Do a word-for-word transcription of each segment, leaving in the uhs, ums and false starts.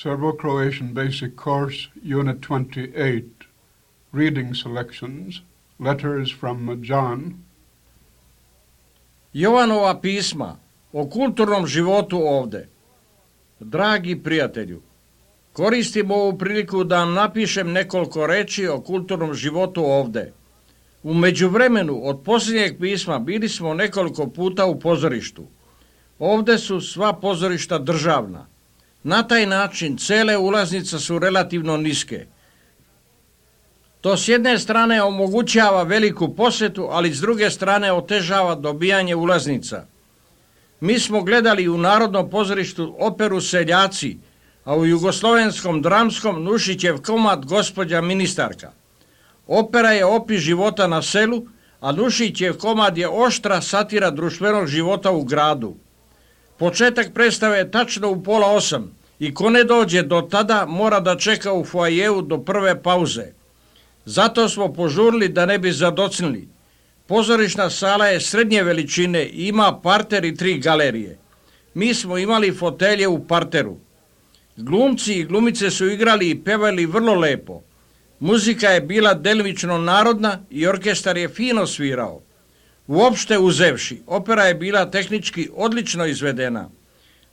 Serbo-Croatian Basic Course, Unit twenty-eight, Reading Selections, Letters from John. Jovanova pisma o kulturnom životu ovde. Dragi prijatelju, koristim ovu priliku da vam napišem nekoliko reči o kulturnom životu ovde. U međuvremenu od posljednjeg pisma bili smo nekoliko puta u pozorištu. Ovde su sva pozorišta državna. Na taj način cele ulaznice su relativno niske. To s jedne strane omogućava veliku posjetu, ali s druge strane otežava dobijanje ulaznica. Mi smo gledali u Narodnom pozorištu operu Seljaci, a u Jugoslovenskom dramskom Nušićev komad Gospođa ministarka. Opera je opis života na selu, a Nušićev komad je oštra satira društvenog života u gradu. Početak predstave je tačno u pola osam i ko ne dođe do tada mora da čeka u foajeu do prve pauze. Zato smo požurili da ne bi zadocnili. Pozorišna sala je srednje veličine i ima parter i tri galerije. Mi smo imali fotelje u parteru. Glumci i glumice su igrali i pevali vrlo lepo. Muzika je bila delimično narodna i orkestar je fino svirao. Uopšte uzevši, opera je bila tehnički odlično izvedena.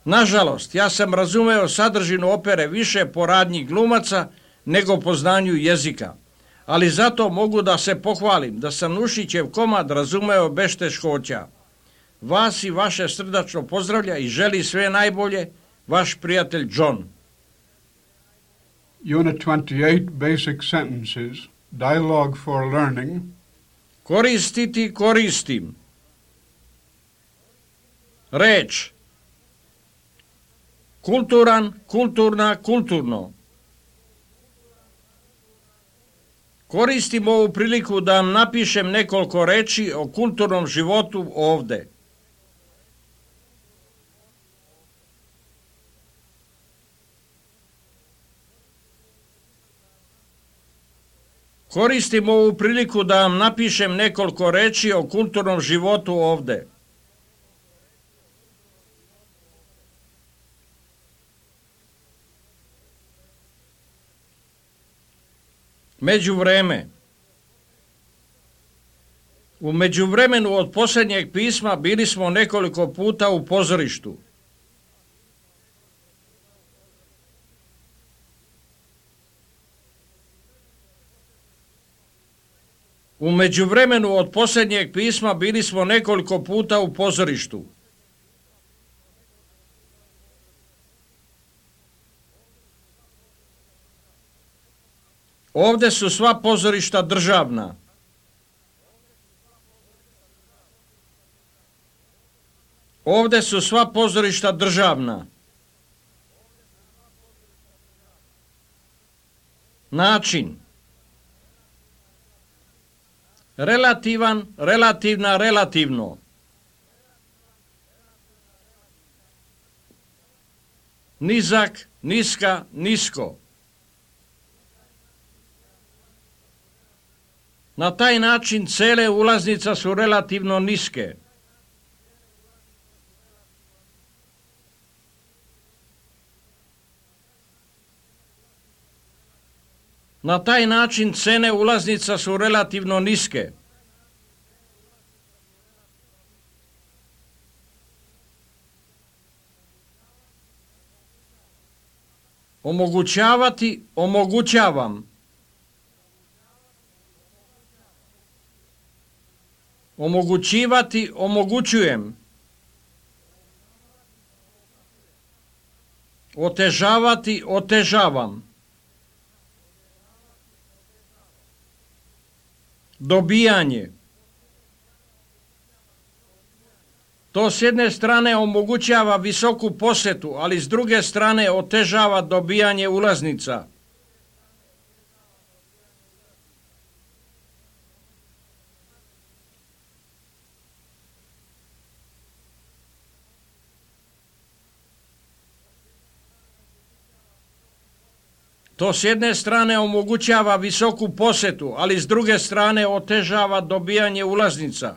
Nažalost, ja sam razumeo sadržinu opere više po radnji glumaca nego po znanju jezika. Ali zato mogu da se pohvalim da sam Nušićev komad razumeo bez teškoća. Vas i vaše srdačno pozdravlja i želi sve najbolje, vaš prijatelj John. Unit twenty-eight, Basic Sentences, Dialogue for Learning. Koristiti, koristim. Reč. Kulturan, kulturna, kulturno. Koristim ovu priliku da vam napišem nekoliko reči o kulturnom životu ovde. Koristim ovu priliku da vam napišem nekoliko reči o kulturnom životu ovde. Međuvreme. U međuvremenu od posljednjeg pisma bili smo nekoliko puta u pozorištu. U međuvremenu od posljednjeg pisma bili smo nekoliko puta u pozorištu. Ovde su sva pozorišta državna. Ovde su sva pozorišta državna. Način. Relativan, relativna, relativno. Nizak, niska, nisko. Na taj način cele ulaznice su relativno niske. Na taj način cene ulaznica su relativno niske. Omogućavati, omogućavam. Omogućivati, omogućujem. Otežavati, otežavam. Dobijanje. To s jedne strane omogućava visoku posjetu, ali s druge strane otežava dobijanje ulaznica. To s jedne strane omogućava visoku posjetu, ali s druge strane otežava dobijanje ulaznica.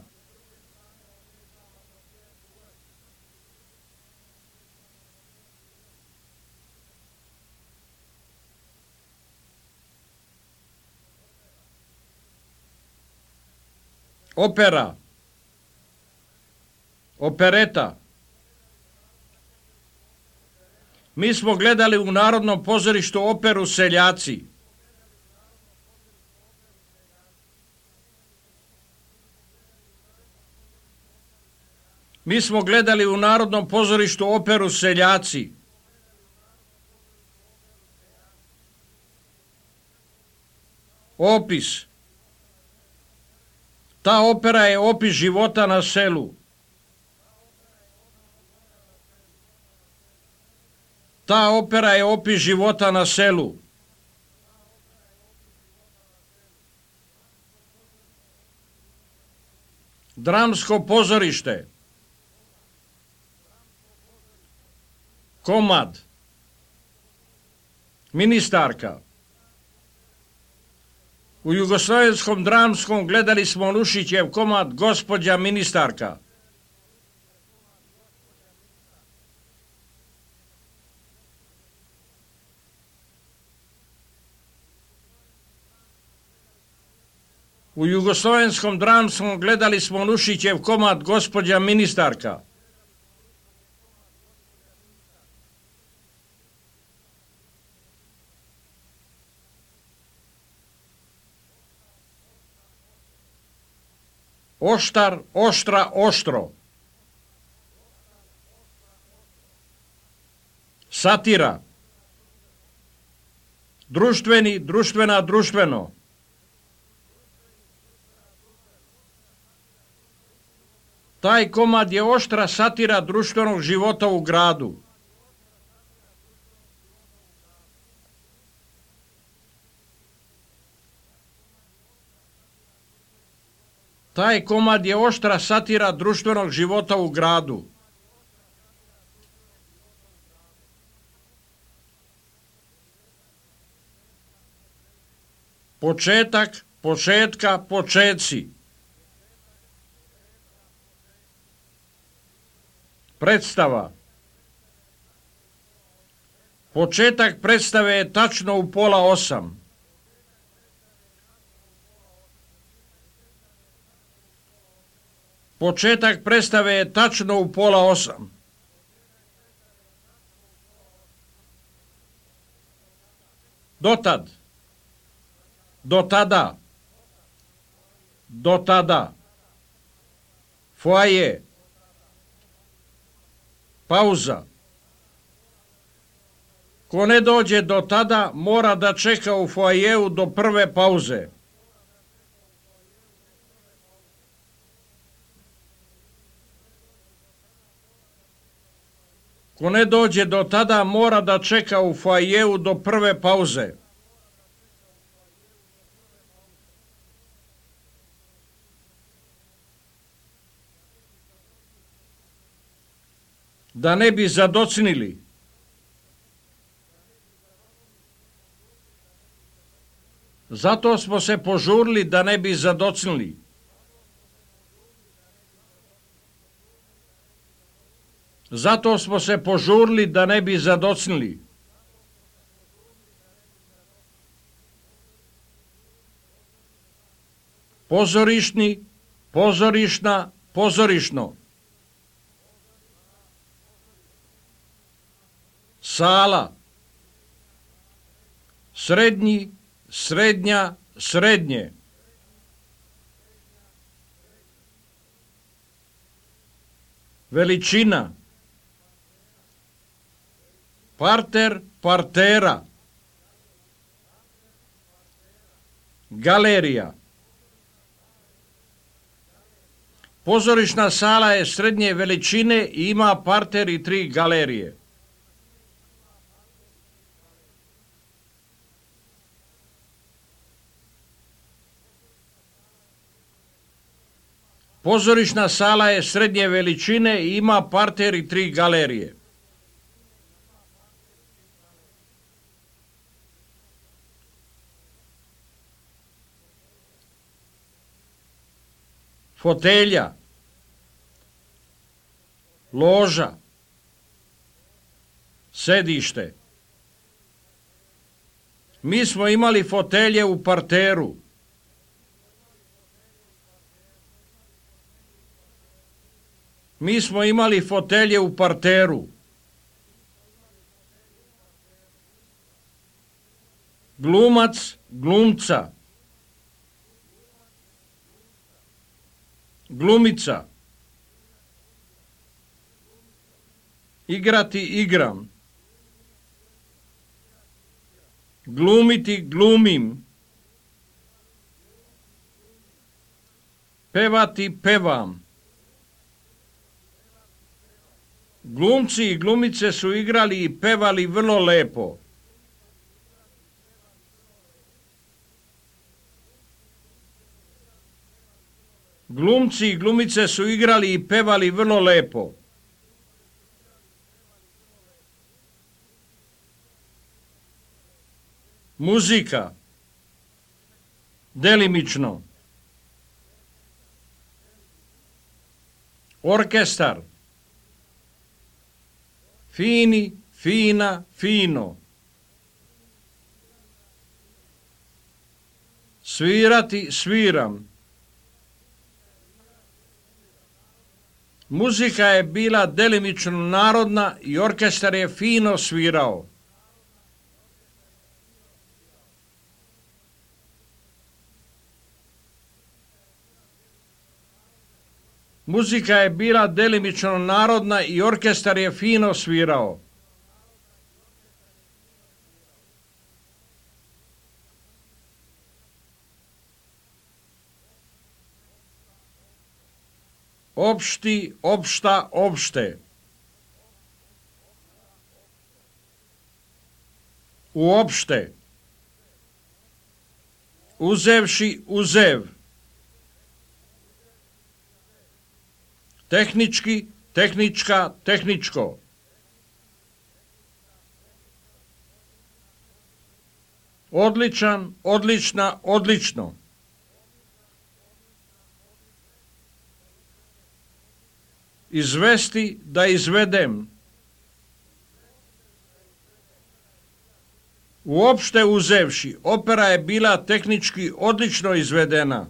Opera, opereta. Mi smo gledali u Narodnom pozorištu operu Seljaci. Mi smo gledali u Narodnom pozorištu operu Seljaci. Opis. Ta opera je opis života na selu. Ta opera je opis života na selu. Dramsko pozorište. Komad. Ministarka. U Jugoslavenskom dramskom gledali smo Nušićev komad Gospođa ministarka. U Jugoslavenskom dramskom gledali smo Nušićev komad Gospođa ministarka. Oštar, oštra, oštro. Satira. Društveni, društvena, društveno. Taj komad je oštra satira društvenog života u gradu. Taj komad je oštra satira društvenog života u gradu. Početak, početka, početci. Predstava. Početak predstave je tačno u pola osam. Početak predstave je tačno u pola osam. Dotad. Do tada. Do tada. Foaje. Pauza. Ko ne dođe do tada, mora da čeka u foajeu do prve pauze. Ko ne dođe do tada, mora da čeka u foajeu do prve pauze. Da ne bi zadocnili. Zato smo se požurili da ne bi zadocnili. Zato smo se požurili da ne bi zadocnili. Pozorišni, pozorišna, pozorišno. Sala. Srednji, srednja, srednje. Veličina. Parter, partera. Galerija. Pozorišna sala je srednje veličine i ima parter i tri galerije. Pozorišna sala je srednje veličine i ima parter i tri galerije. Fotelja. Loža. Sedište. Mi smo imali fotelje u parteru. Mi smo imali fotelje u parteru. Glumac, glumca. Glumica. Igrati, igram. Glumiti, glumim. Pevati, pevam. Glumci i glumice su igrali i pevali vrlo lepo. Glumci i glumice su igrali i pevali vrlo lepo. Muzika. Delimično. Orkestar. Fini, fina, fino. Svirati, sviram. Muzika je bila delimično narodna i orkestar je fino svirao. Muzika je bila delimično narodna i orkestar je fino svirao. Opšti, opšta, opšte. Uopšte. Uzevši, uzev. Tehnički, tehnička, tehničko. Odličan, odlična, odlično. Izvesti, da izvedem. Uopšte uzevši, opera je bila tehnički odlično izvedena.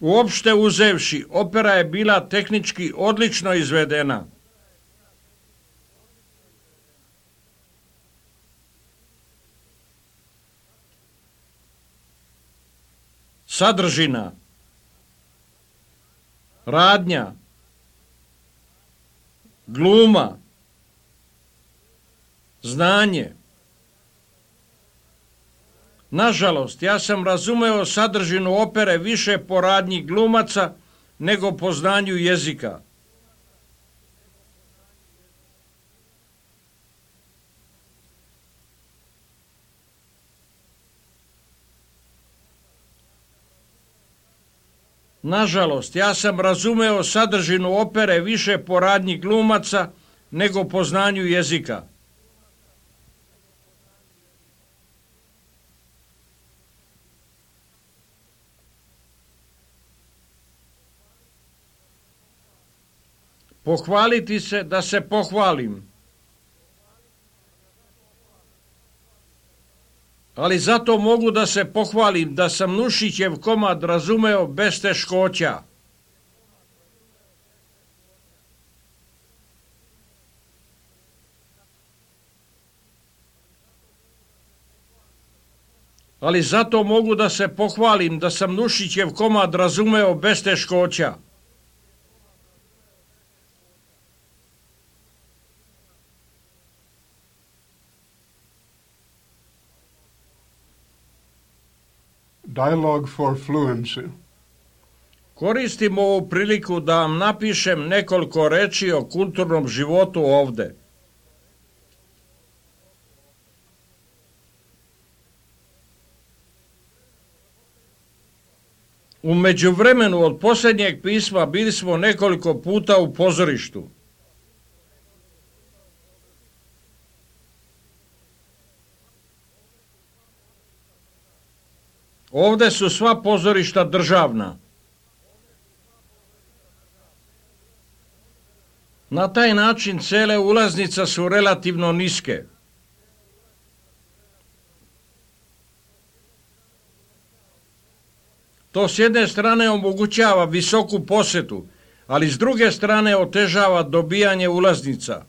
Uopšte uzevši, opera je bila tehnički odlično izvedena. Sadržina. Radnja. Gluma. Znanje. Nažalost, ja sam razumeo sadržinu opere više po radnji glumaca nego po znanju jezika. Nažalost, ja sam razumeo sadržinu opere više po radnji glumaca nego po znanju jezika. Pohvaliti se da se pohvalim. Ali zato mogu da se pohvalim da sam Nušićev komad razumeo bez teškoća. Ali zato mogu da se pohvalim da sam Nušićev komad razumeo bez teškoća. Dialogue for fluency. Koristim ovu priliku da vam napišem nekoliko reči o kulturnom životu ovde. U međuvremenu od posljednjeg pisma bili smo nekoliko puta u pozorištu. Ovde su sva pozorišta državna. Na taj način cele ulaznica su relativno niske. To s jedne strane omogućava visoku posetu, ali s druge strane otežava dobijanje ulaznica.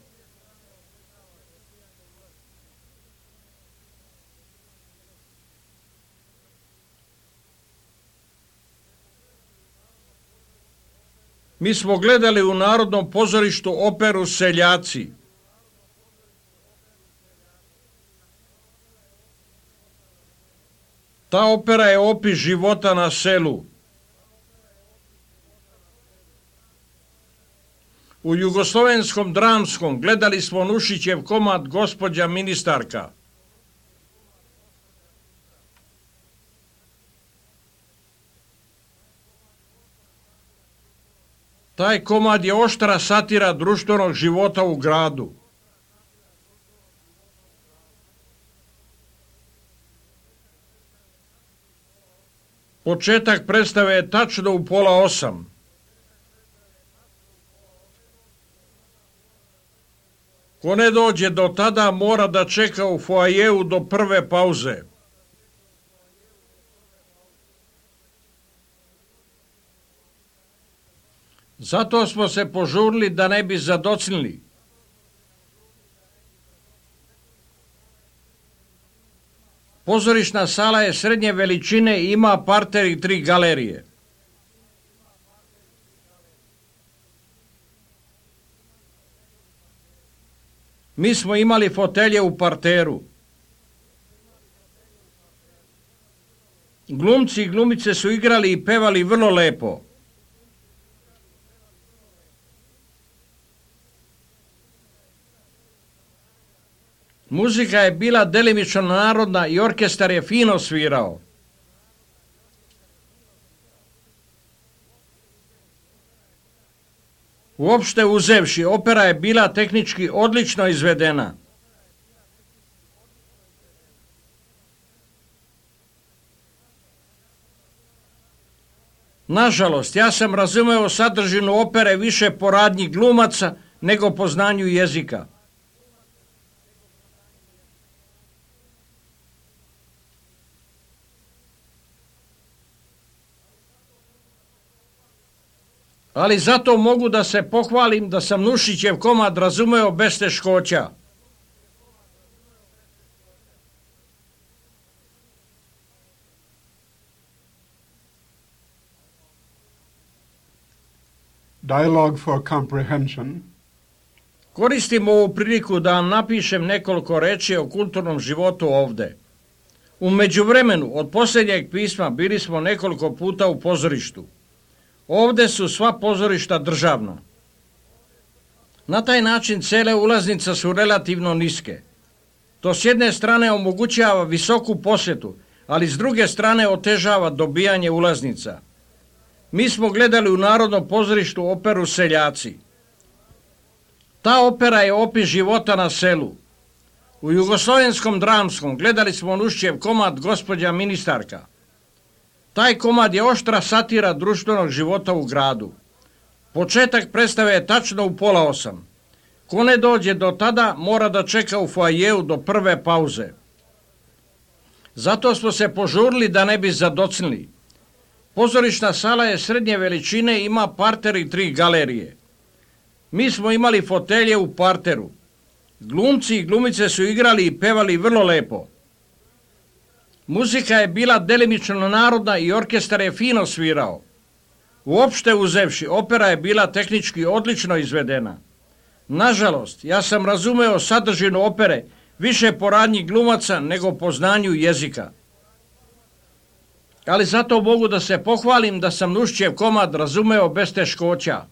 Mi smo gledali u Narodnom pozorištu operu Seljaci. Ta opera je opis života na selu. U Jugoslovenskom dramskom gledali smo Nušićev komad Gospođa ministarka. Taj komad je oštra satira društvenog života u gradu. Početak predstave je tačno u pola osam. Ko ne dođe do tada, mora da čeka u foajeu do prve pauze. Zato smo se požurili da ne bi zadocnili. Pozorišna sala je srednje veličine i ima parter i tri galerije. Mi smo imali fotelje u parteru. Glumci i glumice su igrali i pevali vrlo lepo. Muzika je bila delimično narodna i orkestar je fino svirao. Uopšte uzevši, opera je bila tehnički odlično izvedena. Nažalost, ja sam razumeo sadržinu opere više po radnji glumaca nego po znanju jezika. Ali zato mogu da se pohvalim da sam Nušićev komad razumeo bez teškoća. Dialogue for comprehension. Koristim ovu priliku da vam napišem nekoliko reči o kulturnom životu ovde. U međuvremenu, od posljednjeg pisma, bili smo nekoliko puta u pozorištu. Ovde su sva pozorišta državna. Na taj način cele ulaznice su relativno niske. To s jedne strane omogućava visoku posetu, ali s druge strane otežava dobijanje ulaznica. Mi smo gledali u Narodnom pozorištu operu Seljaci. Ta opera je opis života na selu. U Jugoslovenskom dramskom gledali smo Nušićev komad Gospođa ministarka. Taj komad je oštra satira društvenog života u gradu. Početak predstave je tačno u pola osam. Ko ne dođe do tada, mora da čeka u foajeu do prve pauze. Zato smo se požurili da ne bi zadocnili. Pozorišna sala je srednje veličine i ima parter i tri galerije. Mi smo imali fotelje u parteru. Glumci i glumice su igrali i pevali vrlo lepo. Muzika je bila delimično narodna i orkestar je fino svirao. Uopšte uzevši, opera je bila tehnički odlično izvedena. Nažalost, ja sam razumeo sadržinu opere više po radnji glumaca nego po znanju jezika. Ali zato mogu da se pohvalim da sam Nušićev komad razumeo bez teškoća.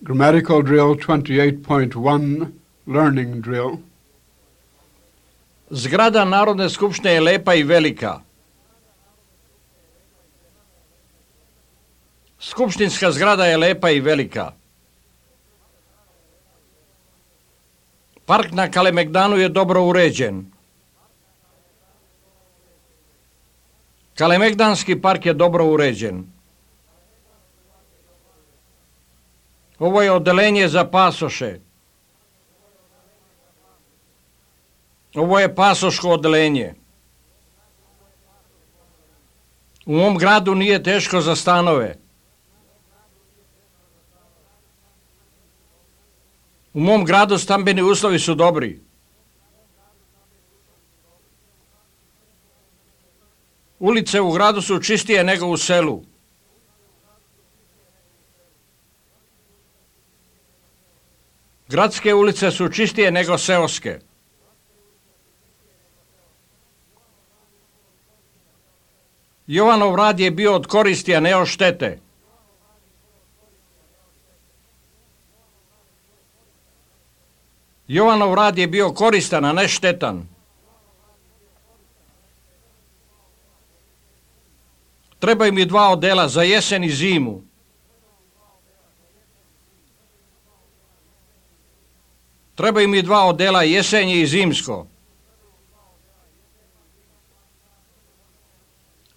Grammatical drill twenty-eight point one, learning drill. Zgrada Narodne skupštine je lepa i velika. Skupštinska zgrada je lepa i velika. Park na Kalemegdanu je dobro uređen. Kalemegdanski park je dobro uređen. Ovo je odelenje za pasoše. Ovo je pasoško odelenje. U mom gradu nije teško za stanove. U mom gradu stambeni uslovi su dobri. Ulice u gradu su čistije nego u selu. Gradske ulice su čistije nego seoske. Jovanov rad je bio od koristi, a ne od štete. Jovanov rad je bio koristan, a ne štetan. Trebaju mi dva odela za jesen i zimu. Trebaju mi dva odela, jesenje i zimsko.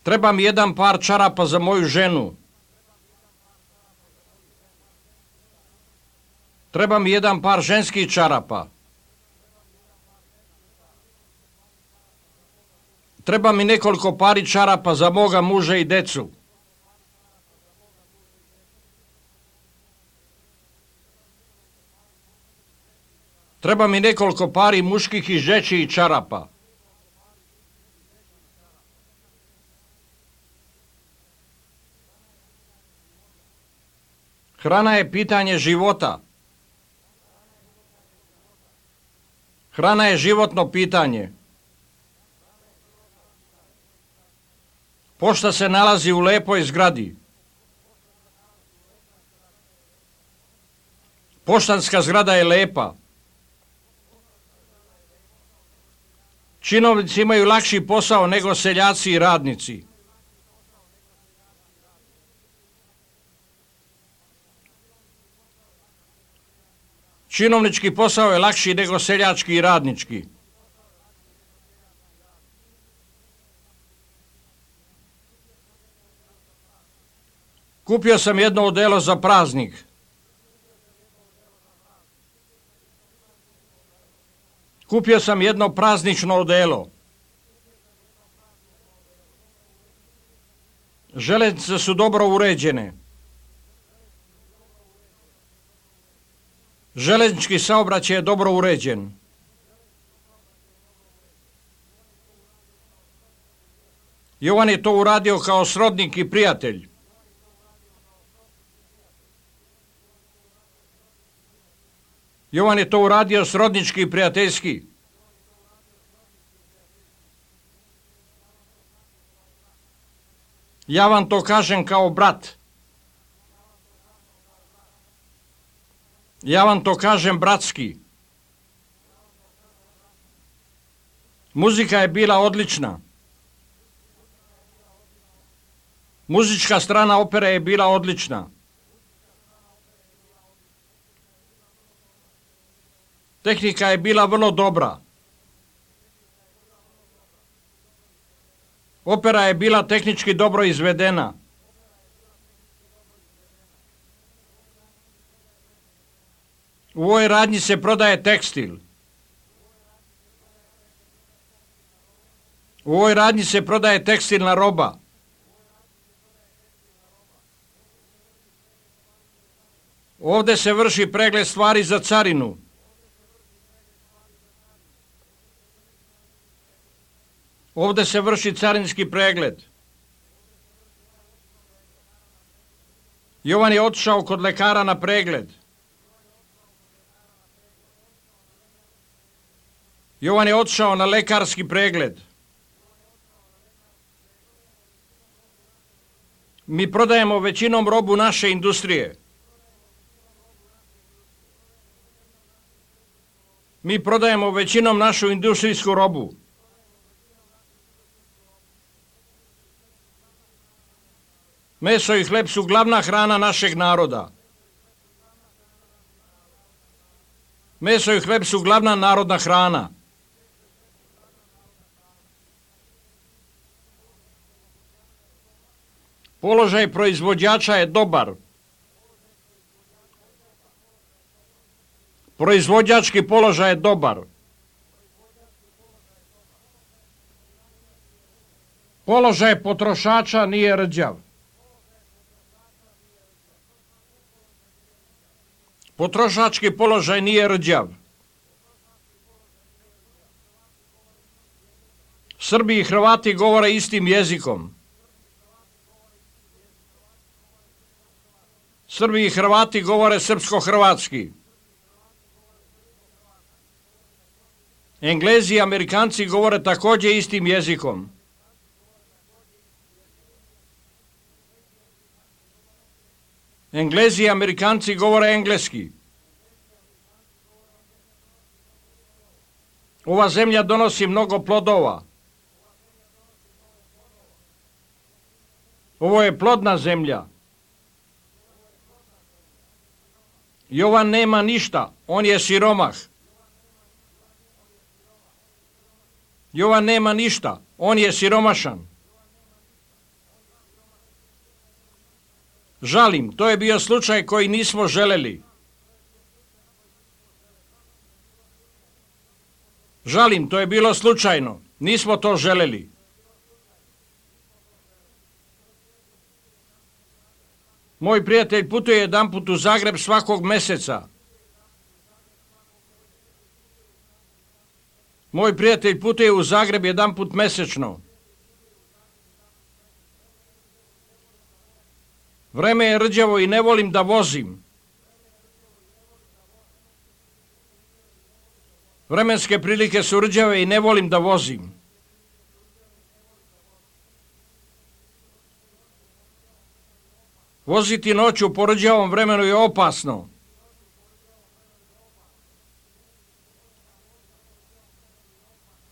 Treba mi jedan par čarapa za moju ženu. Treba mi jedan par ženskih čarapa. Treba mi nekoliko pari čarapa za moga muža i decu. Treba mi nekoliko pari muških i žečijih čarapa. Hrana je pitanje života. Hrana je životno pitanje. Pošta se nalazi u lepoj zgradi. Poštanska zgrada je lepa. Činovnici imaju lakši posao nego seljaci i radnici. Činovnički posao je lakši nego seljački i radnički. Kupio sam jedno odelo za praznik. Kupio sam jedno praznično odelo. Željeznice su dobro uređene. Željeznički saobraćaj je dobro uređen. Jovan je to uradio kao srodnik i prijatelj. Jovan je to uradio srodnički i prijateljski. Ja vam to kažem kao brat. Ja vam to kažem bratski. Muzika je bila odlična. Muzička strana opere je bila odlična. Tehnika je bila vrlo dobra. Opera je bila tehnički dobro izvedena. U ovoj radnji se prodaje tekstil. U ovoj radnji se prodaje tekstilna roba. Ovdje se vrši pregled stvari za carinu. Ovdje se vrši carinski pregled. Jovan je otišao kod lekara na pregled. Jovan je otišao na lekarski pregled. Mi prodajemo većinom robu naše industrije. Mi prodajemo većinom našu industrijsku robu. Meso i hleb su glavna hrana našeg naroda. Meso i hleb su glavna narodna hrana. Položaj proizvođača je dobar. Proizvođački položaj je dobar. Položaj potrošača nije rđav. Potrošački položaj nije rđav. Srbi i Hrvati govore istim jezikom. Srbi i Hrvati govore srpsko-hrvatski. Englezi i Amerikanci govore također istim jezikom. Englezi i Amerikanci govore engleski. Ova zemlja donosi mnogo plodova. Ovo je plodna zemlja. Jovan nema ništa, on je siromah. Jovan nema ništa, on je siromašan. Žalim, to je bio slučaj koji nismo želeli. Žalim, to je bilo slučajno, nismo to želeli. Moj prijatelj putuje jedanput u Zagreb svakog meseca. Moj prijatelj putuje u Zagreb jedanput mesečno. Vreme je rđavo i ne volim da vozim. Vremenske prilike su rđave i ne volim da vozim. Voziti noću po rđavom vremenu je opasno.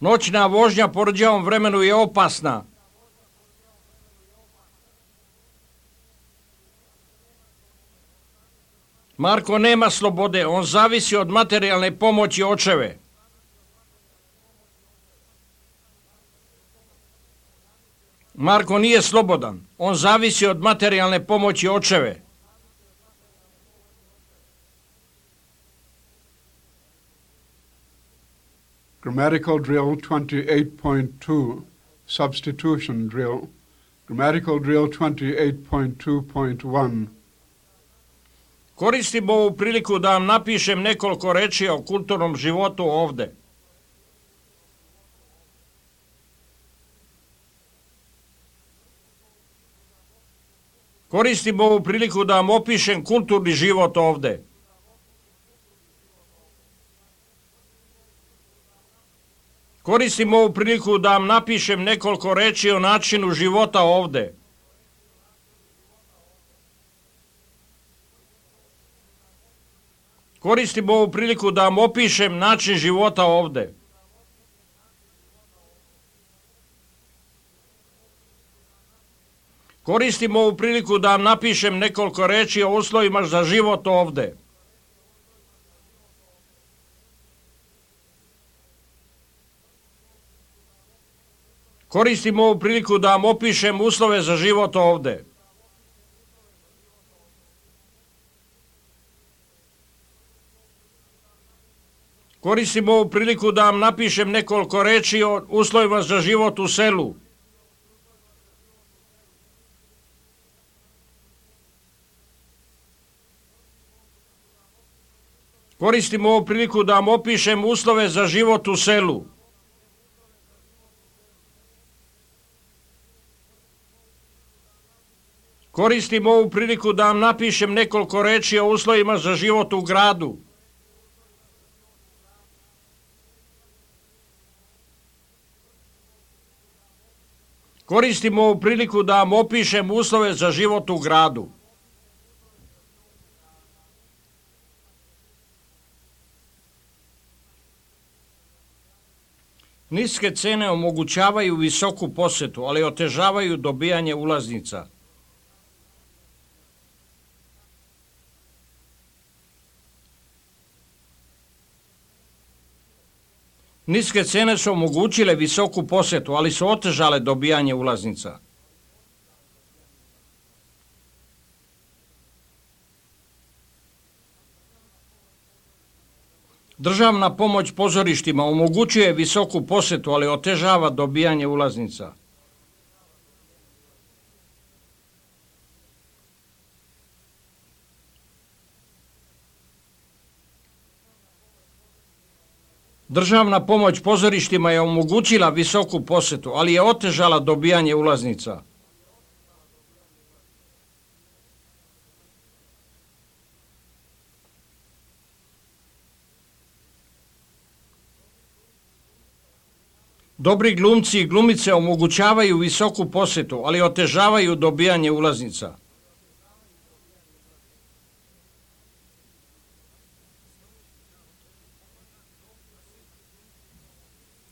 Noćna vožnja po rđavom vremenu je opasna. Marko nema slobode, on zavisi od materijalne pomoći očeve. Marko nije slobodan, on zavisi od materijalne pomoći očeve. Grammatical drill twenty-eight point two, substitution drill. Grammatical drill twenty-eight point two point one. Koristim ovu priliku da vam napišem nekoliko reči o kulturnom životu ovde. Koristim ovu priliku da vam opišem kulturni život ovde. Koristim ovu priliku da vam napišem nekoliko reči o načinu života ovde. Koristim ovu priliku da vam opišem način života ovde. Koristim ovu priliku da vam napišem nekoliko reči o uslovima za život ovde. Koristim ovu priliku da vam opišem uslove za život ovde. Koristim ovu priliku da vam napišem nekoliko reči o uslovima za život u selu. Koristim ovu priliku da vam opišem uslove za život u selu. Koristim ovu priliku da vam napišem nekoliko reči o uslovima za život u gradu. Koristim ovu priliku da vam opišem uslove za život u gradu. Niske cene omogućavaju visoku posetu, ali otežavaju dobijanje ulaznica. Niske cene su omogućile visoku posetu, ali su otežale dobijanje ulaznica. Državna pomoć pozorištima omogućuje visoku posetu, ali otežava dobijanje ulaznica. Državna pomoć pozorištima je omogućila visoku posetu, ali je otežala dobijanje ulaznica. Dobri glumci i glumice omogućavaju visoku posetu, ali otežavaju dobijanje ulaznica.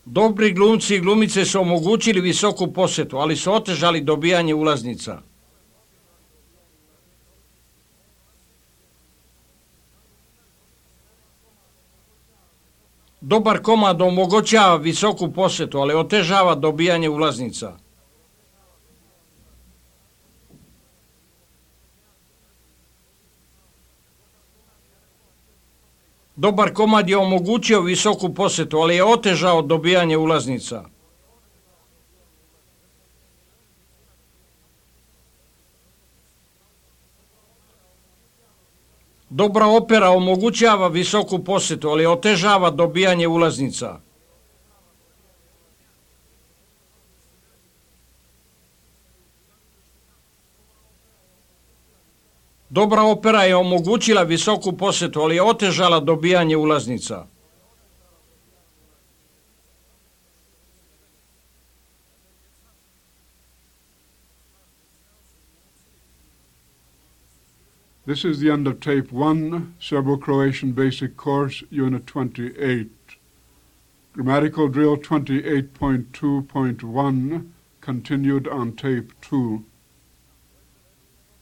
Dobri glumci i glumice su omogućili visoku posetu, ali su otežali dobijanje ulaznica. Dobar komad omogućava visoku posetu, ali otežava dobijanje ulaznica. Dobar komad je omogućio visoku posetu, ali je otežao dobijanje ulaznica. Dobra opera omogućava visoku posetu, ali otežava dobijanje ulaznica. Dobra opera je omogućila visoku posetu, ali je otežala dobijanje ulaznica. This is the end of tape one, Serbo-Croatian Basic Course, Unit twenty-eight. Grammatical Drill twenty-eight point two point one, continued on tape two.